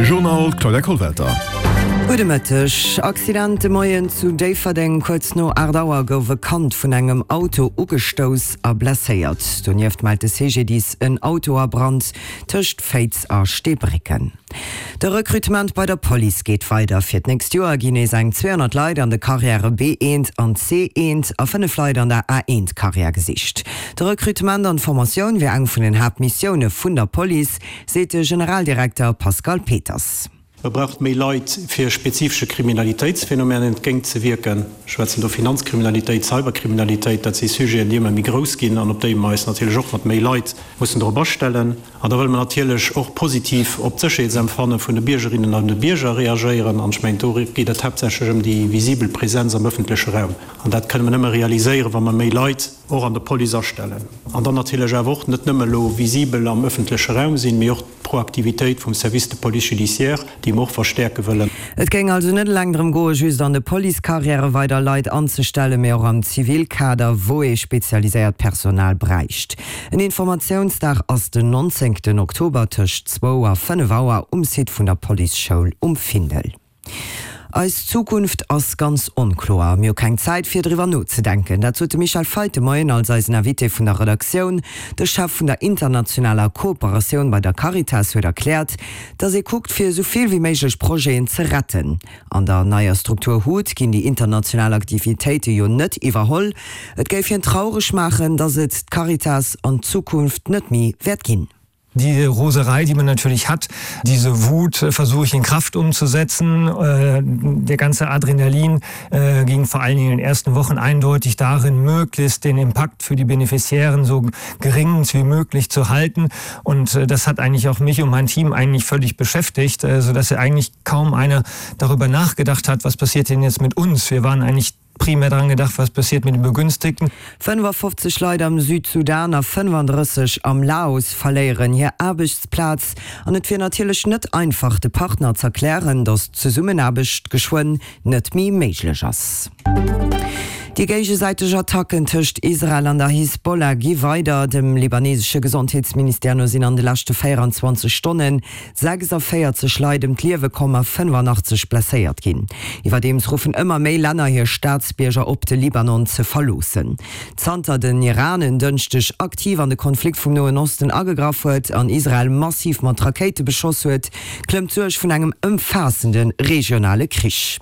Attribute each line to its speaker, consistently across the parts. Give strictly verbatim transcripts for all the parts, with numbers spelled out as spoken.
Speaker 1: De Journal, d'Claudia Kollwelter.
Speaker 2: Gudde Mëtteg. Accident de Moien zu Déifferdeng. Kuerz no aacht Auer gouf e Kand vun engem Auto ugestouss a blesséiert. Donieft mellt de C G D I S en Auto a Brand tëscht Féiz a Steebrécken. De Rekrutement bei der Police geet weider. Fir d'nächst Joer ginn nees eng zweehonnert Leit an de Karriäre B eent an C eent a fënnef Leit an der A eent Karriär gesicht. De Rekrutement an d'Formatioun wier eng vun den Haaptmissioune vun der Police, seet de Generaldirekter Pascal Peters.
Speaker 3: Et braucht méi Leit, fir spezifesche Kriminalitéitsphänomenen entgéintzewierken. Ech schwätzen do Finanzkriminalitéit, Cyberkriminalitéit, dat si Sujeten, déi ëmmer méi grouss ginn an op déi mer eis natierlech och mat méi Leit mussen drop astellen. An da wëlle mer natierlech och positiv op d'Sécherheetsempfanne vun de Biergerinnen an de Bierger reagéieren. An ech mengen, do geet et haaptsächlech ëm déi visibel Presenz am ëffentleche Raum. An dat kënne mer nëmme realiséieren, wa mer méi Leit och an der Police astellen. An dann natierlech awer och net nëmme elo visibel am ëffentleche Raum sinn, mee och d'Proaktivitéit vum Service de police judiciaire, déi mer och verstäerke wëllen.
Speaker 2: Et géing also net eleng drëm goen, just an de Policecarrièrë weider Leit anzestellen, mee och am Zivilkader, wou ee spezialiséiert Personal bräicht. En Informatiounsdag ass den nonzéngten Oktober tëscht zwou a fënnef Auer um Site vun der Policeschoul um Findel. Eis Zukunft ass ganz onkloer. Mir hu keng Zäit fir driwwer nozedenken. Dat sot de Michel Feit de Moien als eisen Invité vun der Redaktioun. De Chef vun der internationaler Kooperatioun bei der Caritas huet erkläert, datt ee kuckt fir esou vill wéi méiglech Projeten ze retten. An der neier Struktur HUT ginn déi international Aktivitéite jo net iwwerholl. Et géif hien traureg maachen, datt et d'Caritas an Zukunft net méi wäert ginn.
Speaker 4: Die Roserei, die man natürlich hat, diese Wut äh, versuche ich in Kraft umzusetzen. Äh, der ganze Adrenalin äh, ging vor allen Dingen in den ersten Wochen eindeutig darin, möglichst den Impact für die Beneficiären so gering wie möglich zu halten. Und das hat eigentlich auch mich und mein Team eigentlich völlig beschäftigt, sodass ja eigentlich kaum einer darüber nachgedacht hat, was passiert denn jetzt mit uns. Wir waren eigentlich primär daran gedacht, was passiert mit den Begünstigten.
Speaker 2: fënnefafofzeg Leit am Südsudan a fënnefandrësseg am Laos verléieren hir Aarbechtsplaz an et wier natierlech net einfach de Partner z'erklären, datt d'Zesummenaarbecht geschwënn net méi méiglech ass. Déi géigesäiteg Attacken tëscht Israel an der Hisbollah gi weider. Dem libanesesche Gesondheetsministère no sinn an de leschte véieranzwanzeg Stonne sechsavéierzeg Leit ëm d'Liewe komm a fënnefanachteg blesséiert ginn. Iwwerdeems ruffen ëmmer méi Länner hir Staatsbierger op, de Libanon ze verloossen. Zanter den Iran en Dënschdeg aktiv an de Konflikt vum Noen Osten agegraff huet an Israel massiv mat Rakéite beschoss huet, klëmmt d'Suerg vun engem ëmfaassende regionale Krich.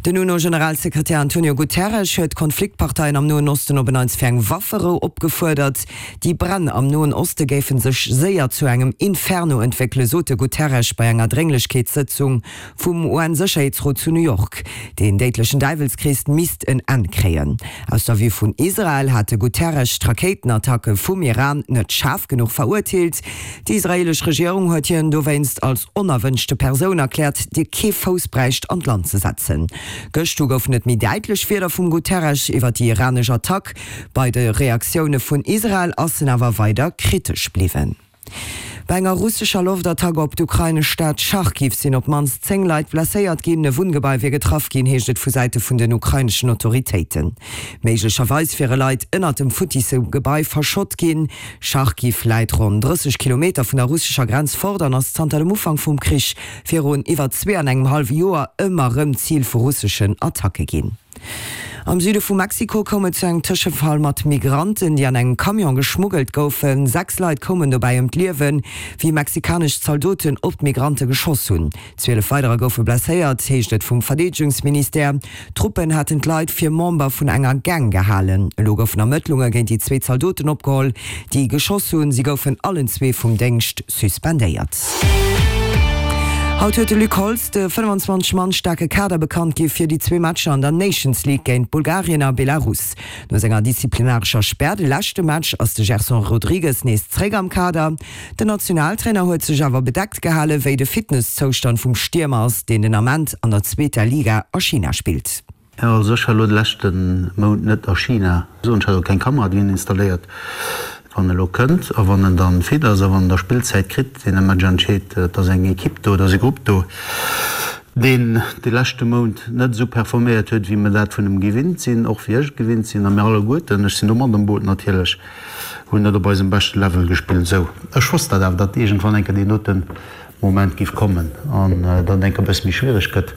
Speaker 2: Den UNO-Generalsekretär Antonio Guterres huet d'Konfliktparteien am Noen Osten op en Neits fir eng Wafferou opgefuerdert. Déi Bränn am Noen Oste géife sech séier zu engem Inferno entwéckelen, sot de Guterres bei enger Drénglechkeetssëtzung vum U N-Sécherheetsrot zu New York. Deen déidlechen Däiwelskrees misst en Enn kréien. Aus der Vue vun Israel hat de Guterres d'Rakéitenattacke vum Iran net schaarf genuch verurteelt. Déi israeelesch Regierung huet hien dowéinst als onerwënschte Persoun erkläert, déi kee Fouss bräicht an d'Land ze setzen. Gëscht du goufen et méi däitlech Wierder vum Guterres iwwer déi iranesch Attack. Bei de Reaktioune vun Israel ass en awer weider kritesch bliwwen. Bei enger russescher Loftattack op d'ukrainesch Stad Charkiw sinn op d'mannst zéng Leit blesséiert ginn. E Wunngebai wier getraff ginn, heescht et vu Säite vun den ukraineschen Autoritéiten. Méiglecherweis wiere Leit ënnert dem futtisse Gebai verschott ginn. Charkiw läit ronn drësseg Kilometer vun der russescher Grenz fort an ass zanter dem Ufank vum Krich virun iwwer zwee an engem hallwe Joer ëmmer erëm Zil vu russeschen Attacke ginn. Am Süde vu Mexiko koum et zu engem Tëschefall mat Migranten, déi an engem Camion geschmuggelt goufen. Sechs Leit koumen dobäi ëm d'Liewen, wéi mexikanesch Zaldoten op d'Migrante geschoss hunn. Zwielef weiderer goufe blesséiert, heescht et vum Verdeedegungsministère. D'Truppen haten d'Leit fir Member vun enger Gang gehalen. Elo goufen Ermëttlunge géint déi zwee Zaldoten opgeholl, déi geschoss hunn. Si goufen allen zwee vum Déngscht suspendéiert. Haut huet de Luc Holtz de fënnefenzwanzeg Mann staarke Kader bekannt gi fir déi zwee Matcher an der Nations League géint Bulgarien a Belarus. No senger disziplinarescher Spär de leschte Match ass de Gerson Rodrigues nees zréck am Kader. Den Nationaltrainer huet sech awer bedeckt gehalen, wéi de Fitnesszoustand vum Stiermer ass, deen den Ament an der zweeter Liga a China spillt.
Speaker 5: Also ech war elo de leschte Mount net a China. Ech hat och keng Kamera drin installéiert. Wann e lo kënnt a wann en dann fit ass a wann en da Spillzäit kritt, deen Match entscheet, et ass eng Ekipp do, et ass e Grupp do, deen de leschte Mount net esou performéiert huet, wéi mer dat vun em gewinnt sinn, och wéi ech et gewinnt sinn a mir alleguerten, ech sinn do mat am Boot natierlech, hunn net op eisem beschte Level gespillt. Esou, ech wosst dat awer, datt iergendwann eng Kéier deen dote Moment géif kommen an dann enk e bësse méi schwiereg gëtt.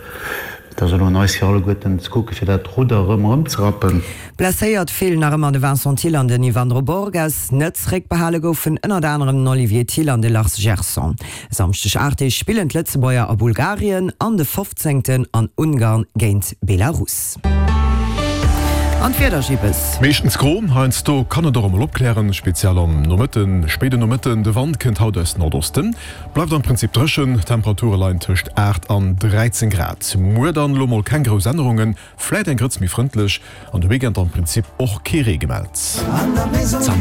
Speaker 5: Et ass elo un eis fir alleguerten ze kucke fir dat Rudder erëm erëmzerappen.
Speaker 2: Blesséiert feelen nach ëmmer de Vincent Thill an den Yvandro Borges. Net zeréckbehale goufen ënnert anerem den Olivier Thill an de Lars Gerson. E Samschdeg aacht Deeg spillen d'Lëtzebuerger a Bulgarien an de fofzéngten an Ungarn géint Belarus. An d'Wieder, Gibbes.
Speaker 1: Meeschtens gro, heiansdo kann et och emol opklären, speziell am Nomëtten, spéiden Nomëtten. De Wand kënnt haut aus Nordosten, bleift am Prinzip dréchen, d'Temperature leien tëscht aacht an dräizéng Grad. Muer dann elo mol keng grouss Ännerungen, vläit eng Grëtz méi frëndlech an de Weekend am Prinzip och kee Ree gemellt.